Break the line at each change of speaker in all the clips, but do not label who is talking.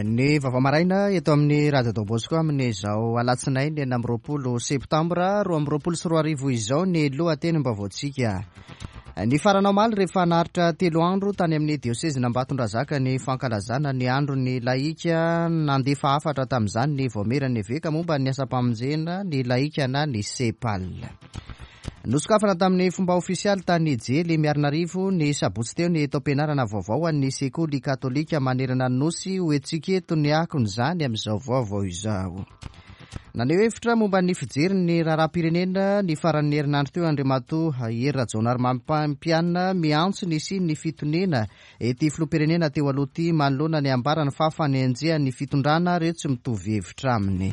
Ny vaovao maraina eto amin'ny Radio Don Bosco amin'izao alatsinainy 26 septambra 2022 izao ny lohatenim-baovaontsika. Nifarana omaly rehefa naharitra telo andro tany amin'ny diosezin'Ambatondrazaka ny fankalazana ny andron'ny lahika. Nandefa hafatra tamin'izany ny vaomieran'ny eveka momba ny asam-pamonjena ny lahika na ny Cepal. Nosokafana tamin'ny fomba ofisialy tany Jly Miarinarivo ny sabotsy teo ny taom-pianarana vaovao an'ny sekoly katolika manerana ny Nosy. Ho entintsika eto ny akon'izany amin'izao vaovao izao. Naneho hevitra momba ny fijeriny ny raharaham-pirenena ny faran'ny herinandro teo Andriamatoa Hery Rajaonarimampianina miantso ny hisian'ny fitoniana ity filoham-pirenena teo aloha ity manoloana ny ambarany fa fanenjehan'ny fitondrana ireo tsy mitovy hevitra aminy.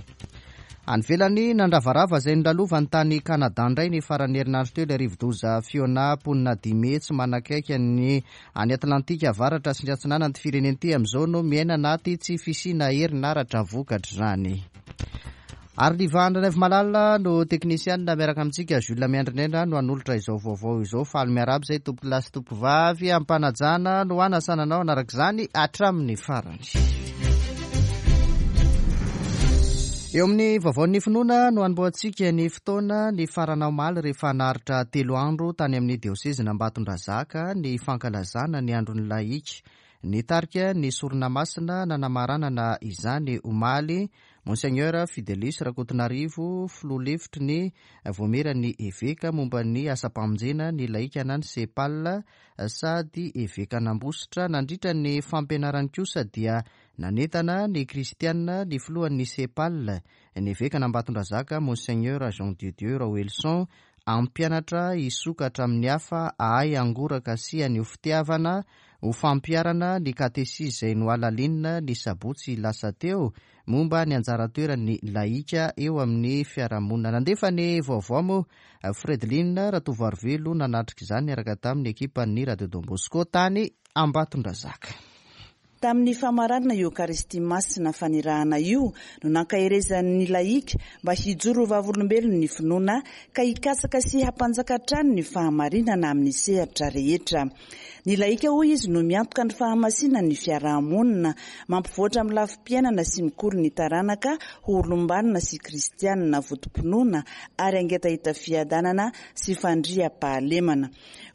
Any ivelany, nandravarava izay nolalovany tany Canada indray ny faran'ny herinandro teo ilay rivodoza Fiona, mponina 500 manakaiky ny any Atlantika avaratra sy ny atsinanan'ity firenena ity amin'izao no miaina anaty tsy fisiana herinaratra vokatr'izany. Ary Livan Ranaivomalala no teknisianina miaraka amintsika, Jules Miandrinena no hanolotra izao vaovao izao. Faly miarahaba izay tompokolahy sy tompovavy, am-panajana no hanasana anao hanaraka izany hatramin'ny farany. Eo amin'ny vaovaon'ny finoana no hanombohantsika ny fotoana ny farana omaly rehefa naharitra telo andro tany amin'ny diosezin'Ambatondrazaka ny fankalazana ny andron'ny lahika. Nitarika ny sorona masina nanamaranana izany omaly Monseigneur Fidelis Rakotonarivo, filoha lefitry ny Vaomieran'ny Eveka momba ny asam-pamonjena ny lahika na ny Cepal sady evekan'Ambositra. Nandritra ny fampianarany kosa dia nanentana ny kristiana ny filohan'ny Cepal, ny evekan'Ambatondrazaka Monseigneur Jean de Dieu Raoelison hampianatra hisokatra amin'ny hafa hahay hangoraka sy haneho fitiavana ho fampiharana ny katesizy izay nohalalinina ny sabotsy lasa teo momba ny anjara toeran'ny lahika eo amin'ny fiarahamonina. Nandefa ny vaovao moa Fredeline Ratovoarivelo nanatrika izany niaraka tamin'ny ekipan'ny Radio Don Bosco tany Ambatondrazaka.
Tamin'ny famaranana io Eokaristia Masina fanirahana io no nankaherezany ny lahika mba hijoro ho vavolombelon'ny finoana ka hikatsaka sy hampanjaka hatrany ny fahamarinana amin'ny sehatra rehetra. Ny lahika hoy izy no miantoka ny fahamasinan'ny fiaraha-monina, mampivoatra amin'ny lafim-piainana sy mikolo ny taranaka ho olom-banona sy kristianina votom-pinoana ary hangetaheta fiadanana sy fandriampahalemana.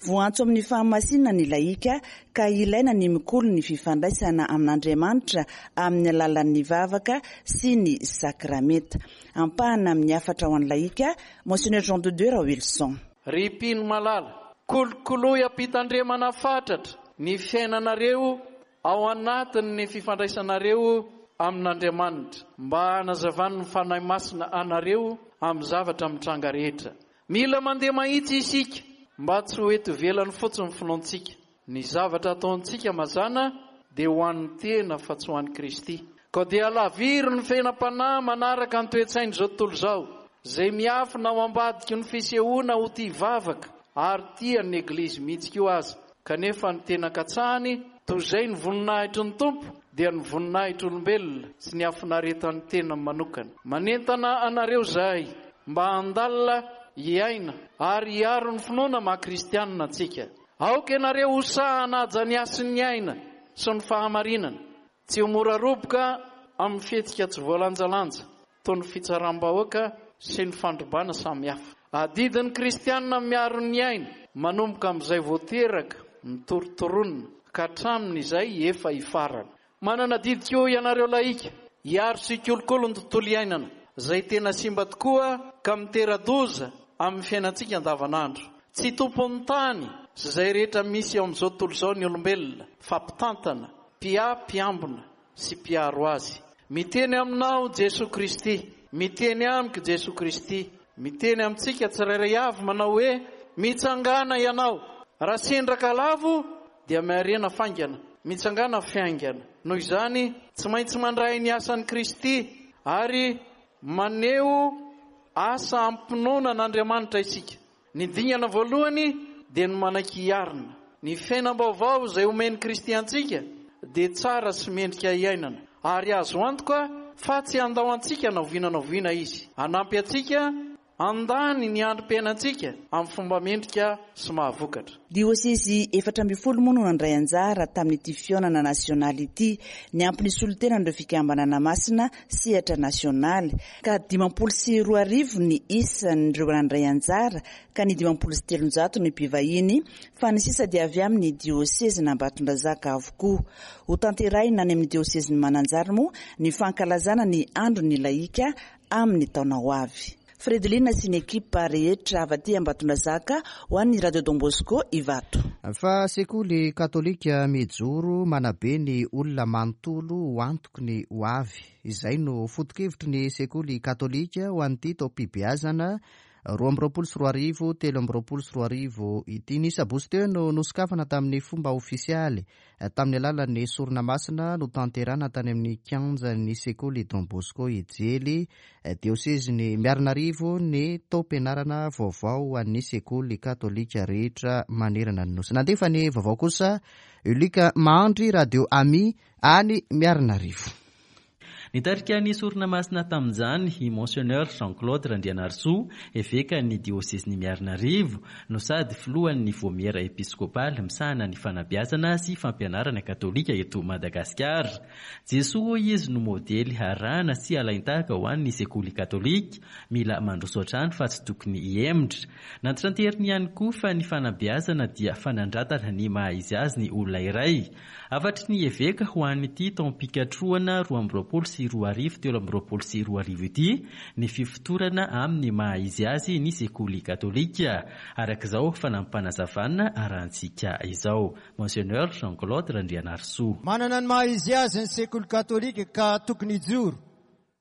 Voantso amin'ny fahamasinana ny lahika ka ilaina ny mikolo ny fifandraisana amin'Andriamanitra amin'ny alalan'ny vavaka sy ny sakramenta. Ampahana amin'ny hafatra ho an'ny lahika, Monseigneur Jean de Dieu Raoelison.
Ry mpino malala, kolokoloy am-pitandremana fatratra ny fiainanareo ao anatin'ny fifandraisanareo amin'Andriamanitra, mba hanazavan'ny Fanahy Masina anareo amin'ny zavatra mitranga rehetra. Mila mandeha mahitsy isika mba tsy ho eto ivelany fotsiny ny finoantsika. Ny zavatra ataontsika mazàna dia ho an'ny tena fa tsy ho an'i Kristy. Koa dia halaviro ny fiainam-panahy manaraka ny toe-tsain'izao tontolo izao, izay miafina ao ambadiky ny fisehoana ho tia vavaka ary tia ny Eglizy mihitsy koa aza, kanefa ny tena katsahany, toy izay ny voninahitry ny Tompo, dia ny voninahitr'olombelona sy ny hafinaretan'ny tenany manokana. Manentana anareo izahay mba handalina, hiaina ary hiaro ny finoana maha kristianina antsika. Aoka ianareo ho sahy hanaja ny hasin'ny aina sy ny fahamarinana, tsy ho mora roboka amin'ny fihetsika tsy voalanjalanja toy ny fitsaram-bahoaka sy ny fandrobana samihafa. Adidin'ny kristianina ny miaro ny aina, manomboka amin'izay vao teraka, mitorontoronina, ka hatramin'izay efa hifarana. Manana adidy koa ianareo lahika hiaro sy hikolokolo ny tontolo iainana, izay tena simba tokoa ka mitera-doza amin'ny fiainantsika andavanandro. Tsy tompon'ny tany sy izay rehetra misy eo amin'izao tontolo izao ny olombelona, fa mpitantana, mpiahy, mpiambina sy mpiaro azy. Miteny aminao Jesoa Kristy, miteny amiko Jesoa Kristy, miteny amintsika tsirairay avy manao hoe, Mitsangàna ianao! Raha sendra ka lavo, dia miharena faingana, mitsangàna fiaingana. Noho izany, tsy maintsy mandray ny asan'i Kristy ary maneho asa am-pinoana an'Andriamanitra isika. Ny dingana voalohany dia ny manaiky hiarina. Ny fiainam-baovao izay omen'i Kristy antsika dia tsara sy mendrika hiainana, ary azo antoka fa tsy handao antsika na oviana na oviana Izy. Hanampy antsika. Handany ny androm-piainantsika amin'ny fomba mendrika sy mahavokatra.
Diosezy 14 moa no nandray anjara tamin'ity fihaonana nasionaly ity, niampy ny solontenan'ireo fikambanana masina sehatra nasionaly, ka 2050 ny isan'ireo nandray anjara, ka ny 350 no mpivahiny, fa ny sisa dia avy amin'ny diosezin'Ambatondrazaka avokoa. Hotanterahina any amin'ny diosezin'i Mananjary moa ny fankalazana ny andron'ny lahika amin'ny taona ho avy. Fredeline sy ny ekipa rehetra avy aty Ambatondrazaka ho an'ny Radio Don Bosco Ivato.
Fa sekoly katolika mijoro manabe ny olona manontolo ho antoky ny ho avy. Izay no foto-kevitry ny sekoly katolika ho an'ity taom-pibeazana 2022 2023 ity. Ny sabotsy teo no nosokafana tamin'ny fomba ofisialy tamin'ny alalan'ny sorona masina notanterahina tany amin'ny kianjan'ny sekoly Don Bosco Ijely, diosezin'i Miarinarivo ny taom-pianarana vaovao ho an'ny sekoly katolika rehetra manerana ny Nosy. Nandefa ny vaovao kosa Luc Mahandry, Radio Ami any Miarinarivo.
Nitarika ny sorona masina tamin'izany i Monseigneur Jean Claude Randrianarisoa, evekan'ny diosezin'i Miarinarivo, no sady filohan'ny Vaomiera Episkopaly misahana ny fanabeazana sy fampianarana katolika eto Madagasikara. Jesoa hoy izy no modely harahana sy alain-tahaka ho an'ny sekoly katolika, mila mandroso hatrany fa tsy tokony hihemotra. Nantitranteriny ihany koa fa ny fanabeazana dia fanandratana ny maha izy azy ny olona iray. Hafatry ny eveka ho an'ity taom-pikatrohana 2022 2023 ity ny fifotorana amin'ny maha izy azy ny sekoly katolika, araka izao fanampim-panazavana arahantsika izao. Monseigneur Jean Claude Randrianarisoa.
Manana ny maha izy azy ny sekoly katolika ka tokony hijoro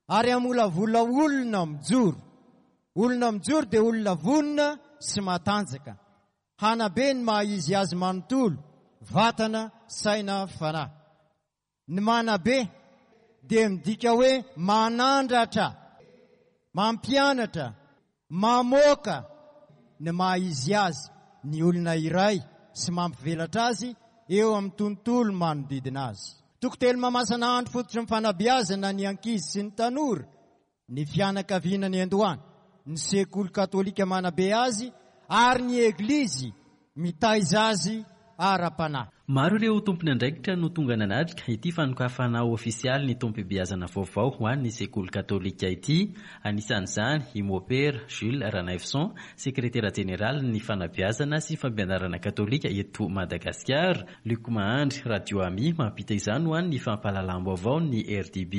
ary hamolavola olona mijoro. Olona mijoro dia olona vonona sy matanjaka. Hanabe ny maha izy azy manontolo, vatana, saina, fanahy. Ny manabe dia midika hoe manandratra, mampianatra, mamoaka ny maha izy azy ny olona iray sy mampivelatra azy eo amin'ny tontolo manodidina azy. Toko telo mamasana andro fototry ny fanabeazana ny ankizy sy ny tanora. Ny fianakaviana niandohana, ny sekoly katolika manabe azy ary ny eglizy mitaiza azy ara-panahy.
Maro ireo tompon'andraikitra no tonga nanatrika ity fanokafana ofisialy ny taom-pibeazana vaovao ho an'ny sekoly katolika ity. Anisan'izany i Mopera Jules Ranaivoson, sekretera jeneralin'ny fanabeazana sy fampianarana katolika eto Madagasikara, Luc Mahandry, Radio Ami, mampita izany ho an'ny fampahalalam-baovaon'ny RDB.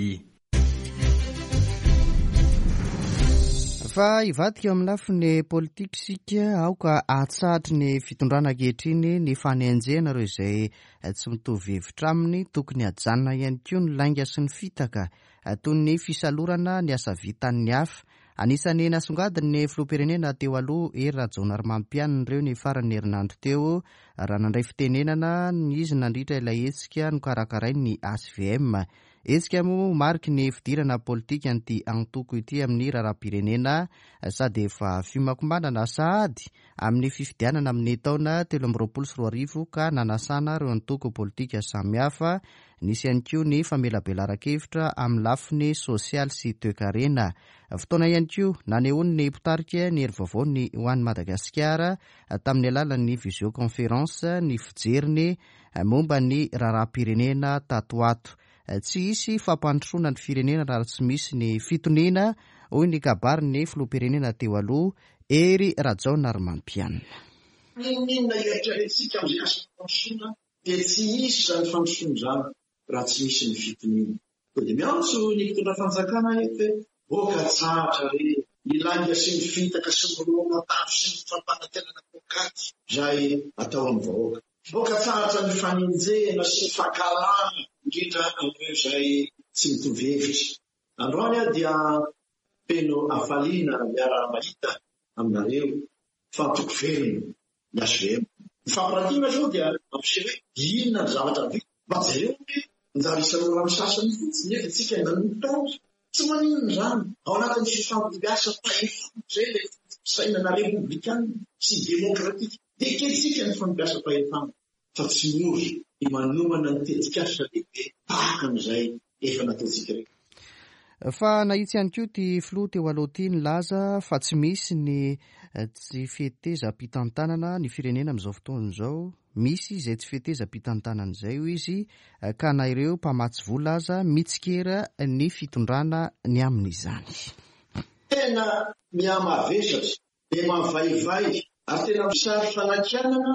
Fa hivadika eo amin'ny lafiny politika isika, aoka hatsahatry ny fitondrana ankehitriny ny fanenjehana ireo izay tsy mitovy hevitra aminy, tokony hajanona ihany koa ny lainga sy ny fitaka toy ny fisalorana ny asa vitan'ny hafa. Anisan'ny nasongadin'ny filoham-pirenena teo aloha Hery Rajaonarimampianina ireo ny faran'ny herinandro teo raha nandray fitenenana izy nandritra ilay hetsika nokarakarain'ny HVM. Hetsika moa mariky ny fidirana politikan'ity antoko ity amin'ny raharaham-pirenena sady efa fiomankomanana sahady amin'ny fifidianana amin'ny taona 2023 ka nanasana ireo antoko politika samihafa. Nisy ihany koa ny famelabelaran-kevitra amin'ny lafiny sosialy sy toekarena. Fotoana ihany koa nanehoan'ny mpitarika ny hery vaovao ny ho an'i Madagasikara tamin'ny alalan'ny visioconférence ny fijeriny momba ny raharaham-pirenena tato ho ato. Tsy hisy fampandrosoana ny firenena raha tsy misy ny fitoniana, hoy ny kabarin'ny filoham-pirenena teo aloha, Hery Rajaonarimampianina.
N'inon'inona eritreretintsika amin'izay asa fampandrosoana dia tsy hisy izany fandrosoana izany raha tsy misy ny fitoniana. Koa dia miantso ny mpitondra fanjakana eto hoe boka tsatra re ny lainga sy ny fitaka sy ny roa-matavy sy ny fampanantenana poakaty izay atao amin'ny vahoaka. Boka tsatra ny fanenjehana sy ny fankahalana indrindra amin'ireo izay tsy mitovy hevitra. Androany aho dia feno hafaliana miara-mahita aminareo fa antoko velona ny hvm. Ny fampiratiana izao dia mampiseho hoe inona ny zavatra vita. Mba jereo anie, manjary isan'olona sasany fotsiny nefa isika nanolo-taona. Tsy maninona izany, ao anatin'ny fifampiasam-pahefana izay ilay fisainana repoblikana sy demokratika. Dia ekentsika ny fampiasam-pahefana fa tsy mora ny manomana ny tetikasa lehibe tahaka an'izay efa nataontsika ireo.
Fa nahitsy ihany koa ity filoha teo aloha ity nilaza fa tsy misy ny tsy fetezam-pitantanana ny firenena amin'izao fotoana izao. Misy izay tsy fetezam-pitantanana izay, hoy izy, ka na ireo mpamatsy vola aza mitsikera ny fitondrana ny amin'izany.
Tena mihamavesatra, mihamavaivay ary tena misary fanakianana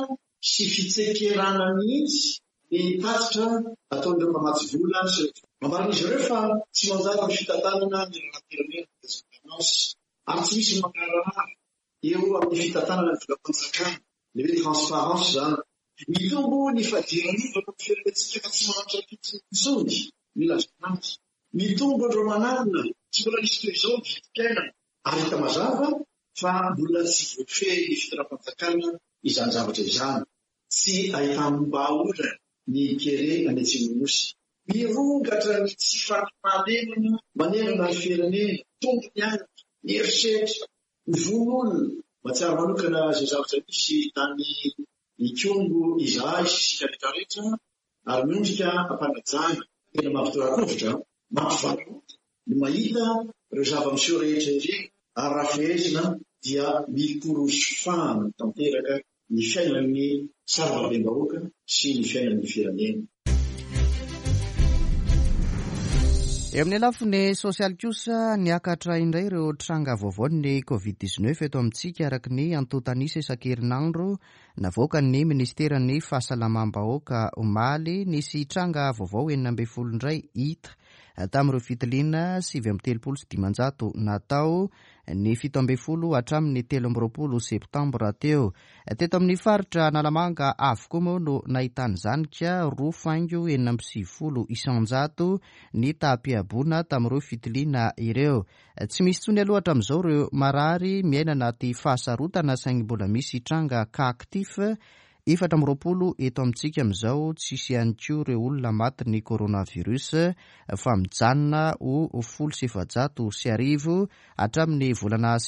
sy fitsekerana mihitsy ny tatitra ataon'ireo mpamatsy vola sy ireo Nambaran'izy ireo fa tsy manjary ny fitantanana ny raharaham-pirenena ny gouvernance ary tsy misy mangarahara eo amin'ny fitantanana ny volam-panjakana, ny hoe transparence izany. Mitombo ny fadiranovana amin'ny firenentsika ka tsy mahantra intsony ny ilazana azy. Mitombo andro aman'alina, tsy mbola nisy toy izao ny vidim-piainana ary hita mazava fa mbola tsy voafehin'ny fitondram-panjakana izany zavatra izany. Tsy ahitam-bahaolana ny kere any Atsimon'ny Nosy. Mirongatra ny tsy fandriampahalemana manerana ny firenena, mitombo ny ady, ny herisetra, ny vono olona. Mahatsiaro manokana izay zavatra nisy tany Ikongo izahay sy isika rehetra rehetra ary miondrika am-panajana. Tena mampitorakovitra, mampivarahontsana ny mahita ireo zava-miseho rehetra ireny ary raha fehezina dia mikorosofahana tanteraka ny fiainan'ny sarambabem-bahoaka sy ny fiainan'ny firenena.
Eo amin'ny lafiny sosialy kosa, niakatra indray ireo tranga vaovaon'ny Covid 19 eto amintsika araka ny antontan'isa isan-kerinandro navoakan'ny Ministeran'ny Fahasalamam-bahoaka omaly. Nisy tranga vaovao 16 indray hita tamin'ireo fitiliana 539 natao ny 17 hatramin'ny 23 septambra teo. Teto amin'ny faritra Analamanga avokoa moa no nahitana izany ka roa faingo 96 isanjato ny taham-pihaboana tamin'ireo fitiliana ireo. Tsy misy intsony aloha hatramin'izao ireo marary miaina anaty fahasarotana saingy mbola misy tranga cas actif 24 eto amintsika amin'izao. Tsisy ihany koa ireo olona matin'ny coronavirus fa mijanona ho 1410 hatramin'ny volana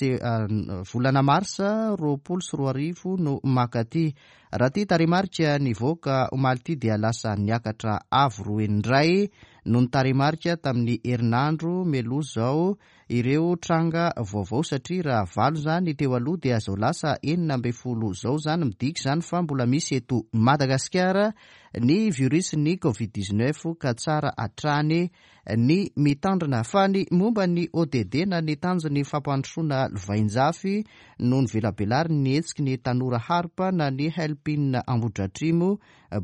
volana marsa 2020 no mankaty. Raha ity tarehimarika nivoaka omaly ity dia lasa niakatra avo roa heny indray noho ny tarehimarika tamin'ny herinandro mialoha izao ireo tranga vaovao satria raha valo izany teo aloha dia izao lasa 16 izao izany. Midika izany fa mbola misy eto Madagasikara ny virus ny covid 19 ka tsara hatrany ny mitandrina. Fa ny momba ny ODD na ny tanjon'ny fampandrosoana lovainjafy no novelabelarin'ny hetsiky ny tanora harp na ny Helpin Ambohidratrimo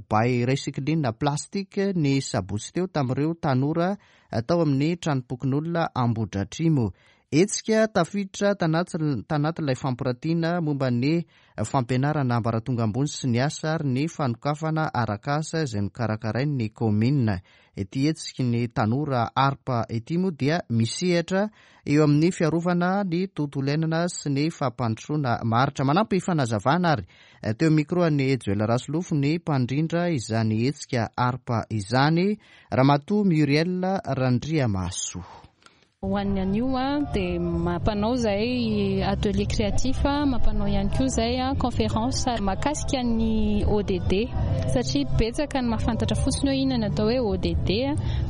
by Recycling Plastic ny sabotsy teo tamin'ireo tanora tao amin'ny tranompokonolona Ambohidratrimo. Hetsika tafiditra tanatin'ilay fampiratiana momba ny fampianarana ambaratonga ambony sy ny asa ary ny fanokafana arak'asa izay nokarakarain'ny kaominina. Ity hetsiky ny tanora ARP ity moa dia misehatra eo amin'ny fiarovana ny tontolo iainana sy ny fampandrosoana maharitra. Manampy fanazavana ary teo amin'ny micro an'i Joel Rasolofo ny mpandrindra izany hetsika ARP izany, Ramatoa Muriel Randriamahasoa.
Ho an'ny anio dia mampanao izahay atelier créatif, mampanao ihany koa izahay conférence mahakasika ny ODD satria betsaka ny mahafantatra fotsiny hoe inona ny atao hoe ODD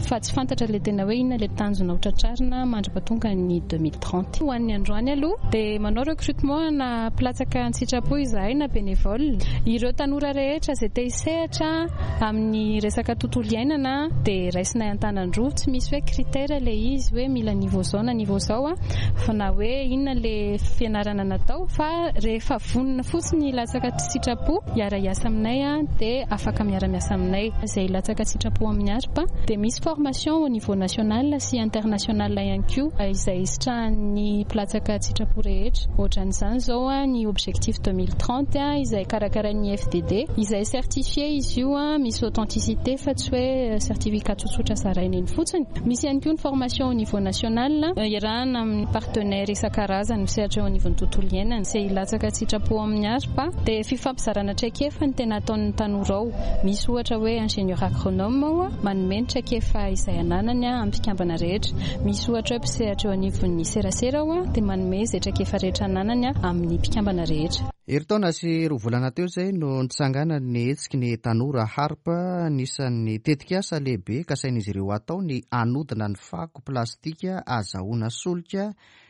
fa tsy fantatra ilay tena hoe inona ilay tanjona ho tratrarina mandra-pahatonga ny 2030. Ho an'ny androany aloha dia manao recrutement na mpilatsaka an-tsitrapo izahay na bénévole. Ireo tanora rehetra izay te hisehatra amin'ny resaka tontolo iainana dia raisinay an-tanan-droa, tsy misy hoe critère ilay izy hoe mila niveau zao na niveau zao fa na hoe inona ilay fianarana natao fa rehefa vonona fotsiny hilatsaka sitrapo hiara-hiasa aminay dia afaka miara-miasa aminay. Izay hilatsaka sitrapo amin'ny ARP dia misy formation au niveau national sy international ihany koa izay sitrahan'ny mpilatsaka sitrapo rehetra. Ohatran'izany izao ny objectif 2030 izay karakarain'ny FDD izay certifié izy io misy authenticité fa tsy hoe certificat tsotsotra zaraina eny fotsiny. Misy ihany koa ny formation au niveau national iarahana amin'ny partenaires isan-karazany misehatra eo anivon'ny tontolo iainana izay hilatsaka an-tsitrapo amin'ny ARP dia fifampizarana traikefa no tena ataon'ny tanora ao. Misy ohatra hoe ingénieur agronome ao manome ny traikefa izay ananany amin'ny mpikambana rehetra. Misy ohatra hoe mpisehatra eo anivon'ny serasera ao dia manome izay traikefa rehetra ananany amin'ny mpikambana rehetra.
Herintaona sy roa volana teo izay no nitsanganan'ny hetsiky ny tanora Harp. Anisan'ny tetikasa lehibe kasain'izy ireo hatao ny hanodina ny fako plastika ahazahoana solika.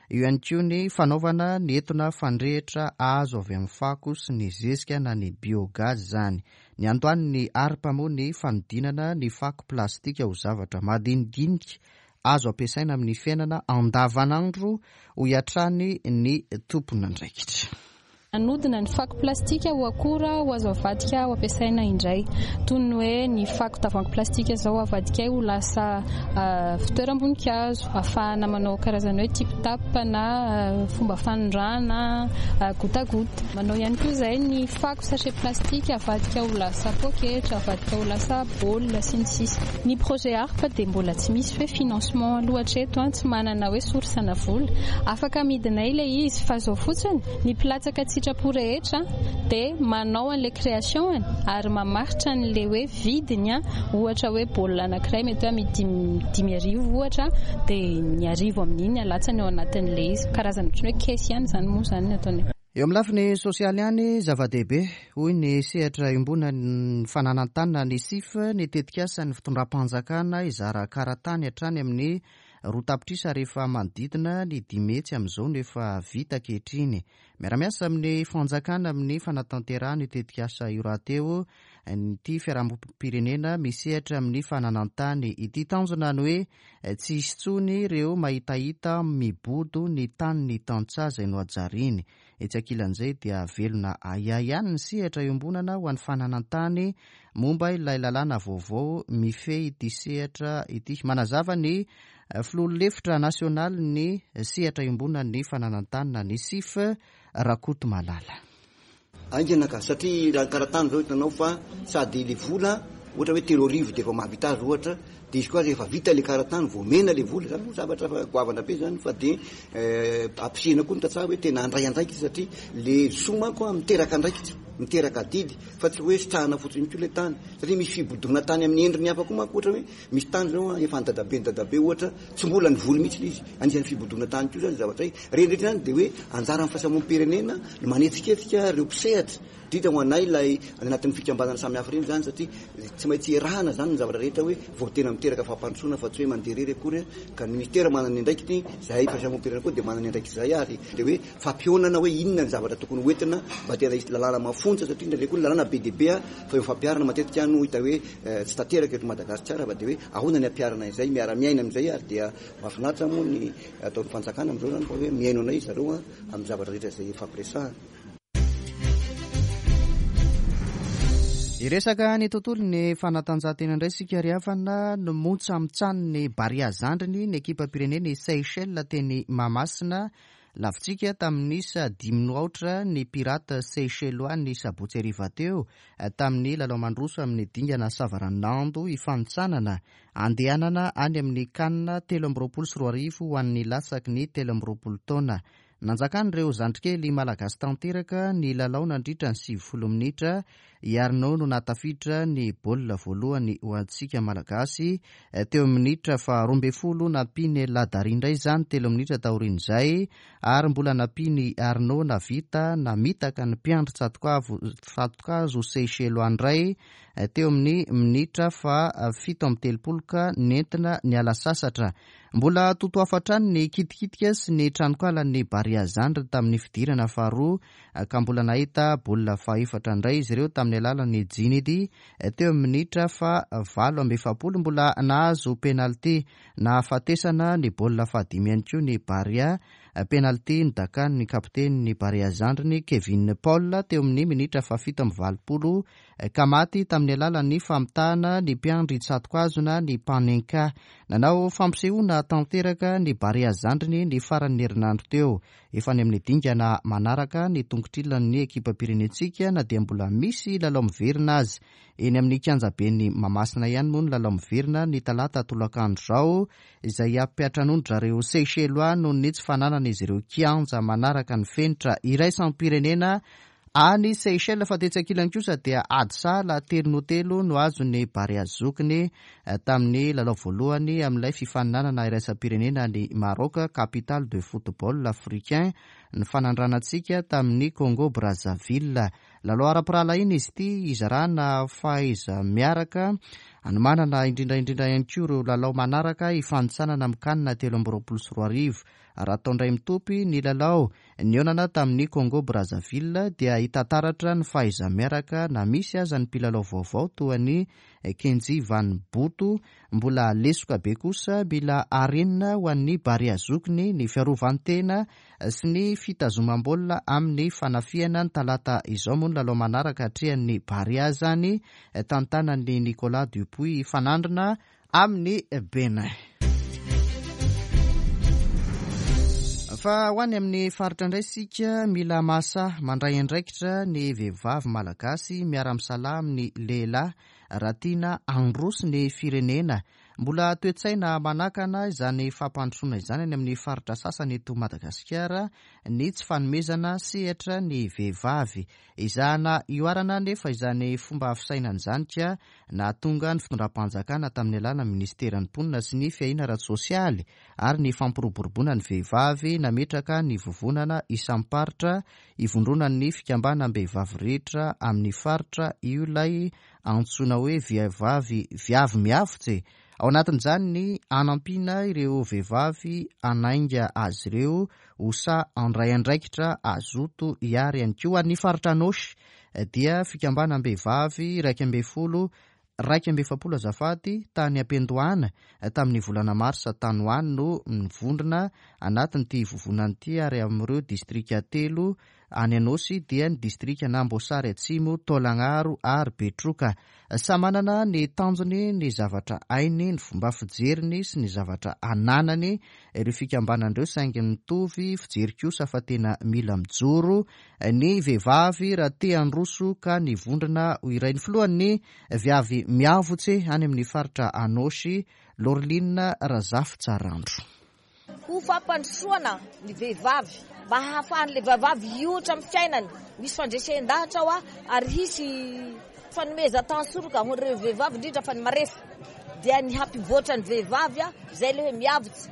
Eo ihany koa ny fanaovana ny etona fandrehitra azo avy amin'ny fako sy ny zezika na ny biogaz izany. Niandohan'ny Harp moa ny fanodinana ny fako plastika ho zavatra madinidinika azo ampiasaina amin'ny fiainana andavanandro, hoy hatrany ny tompon'andraikitra.
Hanodina ny fako plastika ho akora ho azo avadika ho ampiasaina indray. Toy ny hoe ny fako tavoahangy plastika izao avadikay ho lasa fitoeram-boninkazo, ahafahana manao karazana hoe tip tap na fomba fanondrahana goutte à goutte. Manao ihany koa izahay ny fako sachet plastika avadika ho lasa poketra, avadika ho lasa baolina sy ny sisa. Ny projet ARP dia mbola tsy misy hoe financement aloha hatreto, tsy manana hoe source na vola. Afaka amidinay ilay izy fa izao fotsiny, ny mpilatsaka an-tsitrapo rehetra dia manao an'ilay création-ny ary mamaritra an'ilay hoe vidiny, ohatra hoe baolina anankiray mety hoe amidy 5000 ohatra dia ny 1000 amin'iny alatsany ao anatin'ilay izy. Karazana ohatran'ny hoe caisse ihany izany moa izany ny ataony.
Eo amin'ny lafiny sosialy ihany, zava-dehibe, hoy ny sehatra iombonan'ny fananan-tany na ny SIF, ny tetikasan'ny fitondram-panjakana hizara kara-tany hatrany amin'ny 2 tapitrisa ary efa manodidina ny 500 amin'izao no efa vita ankehitriny. Miara-miasa amin'ny fanjakana amin'ny fanatanterahana io tetikasa io rahateo ity fiarahamonim-pirenena misehatra amin'ny fananan-tany ity. Tanjona ny hoe tsy hisy intsony ireo mahitahita mibodo ny tanin'ny tantsaha izay nohajariny. Etsy ankilan'izay dia velona ahiahy ihany ny sehatra iombonana ho an'ny fananan-tany momba ilay lalàna vaovao mifehy ity sehatra ity. Manazava ny filoha lefitra nasionalin'ny sehatra iombonan'ny fananan-tany na ny SIF, Rakotomalala.
Haingana ka, satria raha ny kara-tany izao hitanao fa sady le vola ohatra hoe 3000 dia efa mahavita azy ohatra, dia izy koa rehefa vita le kara-tany vao omena le vola, zany moa zavatra efa goavana be zany fa dia ampisehina koa ny tantsaha hoe tena handray andraikitra satria le soa manko an miteraka andraikitra, miteraka adidy fa tsy hoe sitrahana fotsiny koa le tany, satria misy fibodoana tany amin'ny endriny hafa koa manko ohatra hoe misy tany zao an efa an'i dadabe ny dadabe ohatra tsy mbola nivoly mihitsy le izy, anisan'ny fibodoana tany koa zany zavatra ireny rehetra izany dia hoe anjaran'ny firaisamonim-pirenena ny manetsiketsika ireo mpisehatra Indrindra ho anay ilay any anatin'ny fikambanana samihafa ireny izany satria tsy maintsy iarahana izany ny zavatra rehetra hoe vao tena miteraka fampandrosoana fa tsy hoe mandeha irery akory ka ny ministera manana ny andraikiny, izahay firaisamonim-pirenena koa dia manana ny andraikitra izay ary dia hoe fampihaonana hoe inona ny zavatra tokony ho entina mba tena hisy lalàna mafonja satria indraindray koa ny lalàna be dia be fa eo fampiharana matetika no hita hoe tsy tanteraka eto Madagasikara fa dia hoe ahoana ny hampiharana izay miara-miaina amin'izay ary dia mahafinaritra moa ny ataon'ny fanjakana amin'izao izany fa hoe mihaino anay zareo amin'ny zavatra rehetra izay ifampiresahana.
Hiresaka ny tontolon'ny fanatanjahantena indray isika ry havana. Nomontsamontsanin'ny Barea zandriny ny ekipam-pirenena i Seychelles teny Mahamasina. Lavintsika tamin'ny isa dimy no aotra ny Pirates Seychellois ny sabotsy hariva teo tamin'ny lalao mandroso amin'ny dingana savaranando hifanintsanana andehanana any amin'ny Can 2023 ho an'ny latsaky ny 23 taona. Nanjakan'ireo zandrikely malagasy tanteraka ny lalao nandritra ny 90 minitra. I Arnaud no nahatafiditra ny baolina voalohany ho antsika malagasy teo amin'ny minitra faha-12. Nampian'i Ladari indray izany telo minitra taorian'izay ary mbola nampian'i Arnaud nahavita namitaka ny mpiandry tsatokazo Seychellois indray teo amin'ny minitra faha-37 ka nentina niala sasatra. Mbola totoafo hatrany ny kitikitika sy ny tranokalan'ny Barea Zandriny tamin'ny fidirana faharoa ka mbola nahita baolina fahefatra indray izy ireo tamin'ny alalan'i Djinidi teo amin'ny minitra faha 48. Mbola nahazo penalty nahafatesana ny baolina fahadimy ihany koa ny Barea, penalty nodakan'ny kapitenin'ny Barea Zandriny Kevin Paul teo amin'ny minitra faha 87 ka maty tamin'ny alalan'ny famitahana ny mpiandry tsatokazo na ny Panenka. Nanao fampisehoana tanteraka ny Barea zandriny ny faran'ny herinandro teo. Efa any amin'ny dingana manaraka ny tongotr'ilan'ny ekipam-pirenentsika na dia mbola misy lalao miverina aza. Eny amin'ny kianjaben'i Mahamasina ihany moa ny lalao miverina ny talata tolakandro izao izay hampiantranoan-dry zareo Seychellois noho ny tsy fananan'izy ireo kianja manaraka ny fenitra iraisam-pirenena. Any Seychelles fa tetsy ankilany kosa dia ady sahala 3-3 no azon'ny Barea zokiny tamin'ny lalao voalohany amin'ilay fifaninanana iraisam-pirenena any Maroc, capitale de football africain, ny fanandranantsika tamin'ny Congo Brazzaville. Lalao ara-pirahalahiana izy ity hizarana fahaiza-miaraka, hanomanana indrindra indrindra ihany koa ireo lalao manaraka hifanintsanana amin'ny Can 2023. Raha atao indray mitopy ny lalao nihaonana tamin'ny Congo Brazzaville dia hita taratra ny fahaiza-miaraka na misy aza ny mpilalao vaovao toa an'i Kenji Van Boto. Mbola lesoka be kosa mila harenina ho an'ny Barea zokiny ny fiarovan-tena sy ny fitazomam-baolina amin'ny fanafihana. Ny talata izao moa ny lalao manaraka atrehan'ny Barea izany tantanan'i Nicolas Dupuis hifanandrina amin'ny Benin. Fa ho any amin'ny faritra indray isika, mila mahasahy mandray andraikitra ny vehivavy malagasy miara-misalahy amin'ny lehilahy raha tiana handroso ny firenena. Mbola toe-tsaina manakana izany fampandrosoana izany any amin'ny faritra sasany eto Madagasikara ny tsy fanomezana sehatra ny vehivavy. Ezahana hihoarana anefa izany fomba fisainana izany ka nahatonga ny fitondram-panjakana tamin'ny alalan'ny minisiteran'ny Mponina sy ny Fiahiana ara-tsosialy ary ny Fampiroboroboana ny Vehivavy nametraka ny vovonana isam-paritra ivondronan'ny fikambanam-behivavy rehetra amin'ny faritra io ilay antsoina hoe Vehivavy Viavy Miavotse Ao anatin'izany ny hanampiana ireo vehivavy hanainga azy ireo ho sahy handray andraikitra hazoto hiary ihany koa. Ny faritra Anôsy dia fikambanam-behivavy 11, 41 azafady, tany am-piandohana tamin'ny volana marsa tany ho any no nivondrona anatin'ity vovonana ity ary amin'ireo distrika telo Any Anôsy dia ny distrikan'Amboasary Atsimo, Taolagnaro ary Betroka. Samy manana ny tanjony, ny zavatra hainy, ny fomba fijeriny sy ny zavatra ananany ireo fikambanana ireo saingy mitovy fijery kosa fa tena mila mijoro ny vehivavy raha te handroso ka ny vondrona ho iray. Ny filohan'ny Viavy Miavotse any amin'ny faritra Anôsy, Laureline Razafitsarandro.
Ho fampandrosoana ny vehivavy, mba hahafahan'ilay vehivavy hioitra amin'ny fiainany. Misy fandresen-dahatra ao ary hisy fanomezan-tantsoroka ho an'ireo vehivavy, indrindra fa ny marefo. Dia ny hampivoatra ny vehivavy, izay ilay hoe miavotra,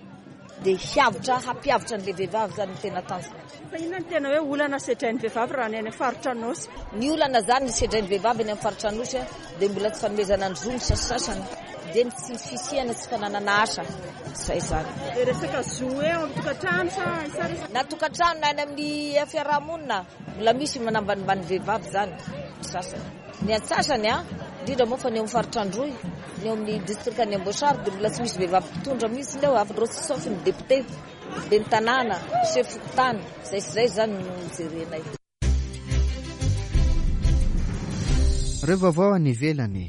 dia hiavotra, hampiavotra an'ilay vehivavy izany no tena tanjona.
Fa inona no tena hoe olana sedrain'ny vehivavy raha ny any amin'ny faritra Anôsy?
Ny olana izany sedrain'ny vehivavy any amin'ny faritra Anosy dia mbola tsy fanomezana ny zo ny sasasany, dia ny tsy fisiana sy fananana asa, izay izany.
Dia resaka zo hoe ao amin'ny tokantrano sa sa resaka.
Na tokantrano na any amin'ny fiaraha-monina, mbola misy manambanimbany vehivavy izany ny sasany. Ny antsasany an, indrindra moa fa ny eo amin'ny faritra Androy, ny eo amin'ny distrikan'i Amboasary dia mbola tsy misy vehivavy mpitondra mihitsy ao, afa-tsy sauf ny député. Ben'ny tanàna, sefo fokontany, izay sy izay izany no jerenay.
Ireo vaovao any ivelany.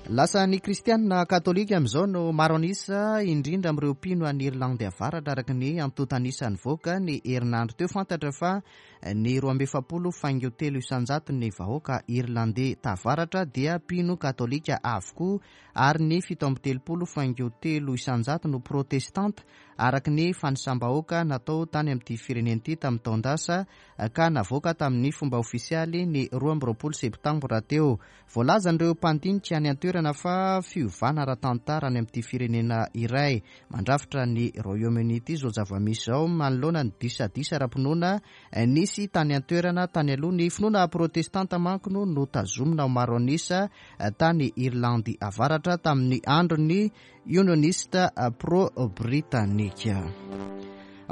Lasa ny kristianina katolika amin'izao no maro an'isa indrindra amin'ireo mpino any Irlandy Avaratra araka ny antontan'isa nivoaka ny herinandro teo. Fantatra fa ny 42.3 isan-jaton'ny vahoaka Irlandey tavaratra dia mpino katolika avokoa ary ny 37.3 isan-jato no protestanta araka ny fanisam-bahoaka natao tany amin'ity firenena ity tamin'ny taon-dasa ka navoaka tamin'ny fomba ofisialy ny 22 septambra teo. Voalazan'ireo mpandinika any an-toerana fa fiovana ara-tantara any amin'ity firenena iray mandrafitra ny Royaume-Uni ity izao zava-misy izao manoloana ny disadisa ara-pinoana nisy tany an-toerana tany aloha. Ny finoana protestanta manko no notazomina ho maro an'isa tany Irlandy Avaratra tamin'ny andron'ny Unioniste pro-Britanika.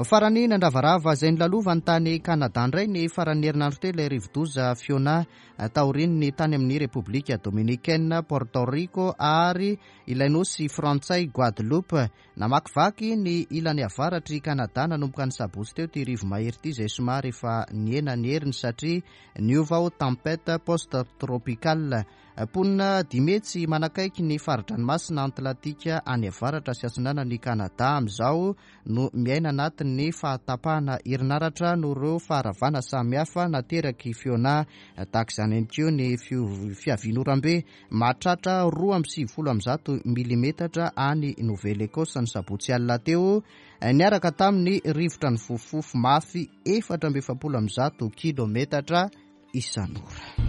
Farany nandravarava izay nolalovany tany Kanada indray ny faran'ny herinandro teo ilay rivodoza Fiona taorian'ny tany amin'ny Repoblika Dominicaine, Porto Rico ary ilay nosy frantsay Guadeloupe. Namakivaky ny ilany avaratr'i Kanada nanomboka ny sabotsy teo ity rivomahery ity izay somary efa nihena ny heriny satria niova ho tempête post-tropicale. Mponina 500 manakaiky ny fari-dranomasina Antlantika any avaratra sy atsinanan'i Kanada amin'izao no miaina anatin'ny fahatapahana herinaratra noho ireo faharavana samihafa naterak'i Fiona. Tahaka izany ihany koa ny fiavian'orambe mahatratra 192 milimetatra any Nouvelle-Écosse ny sabotsy alina teo, niaraka tamin'ny rivotra nifofofofo mafy 144 kilometatra. isan'ora.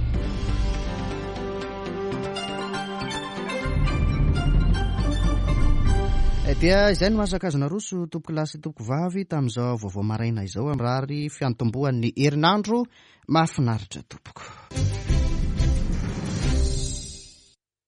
Dia izay no azakazo naroso tompokolahy sy tompokovavy tamin'izao vaovao maraina izao. Mirary fiantombohan'ny herinandro mahafinaritra tompoko.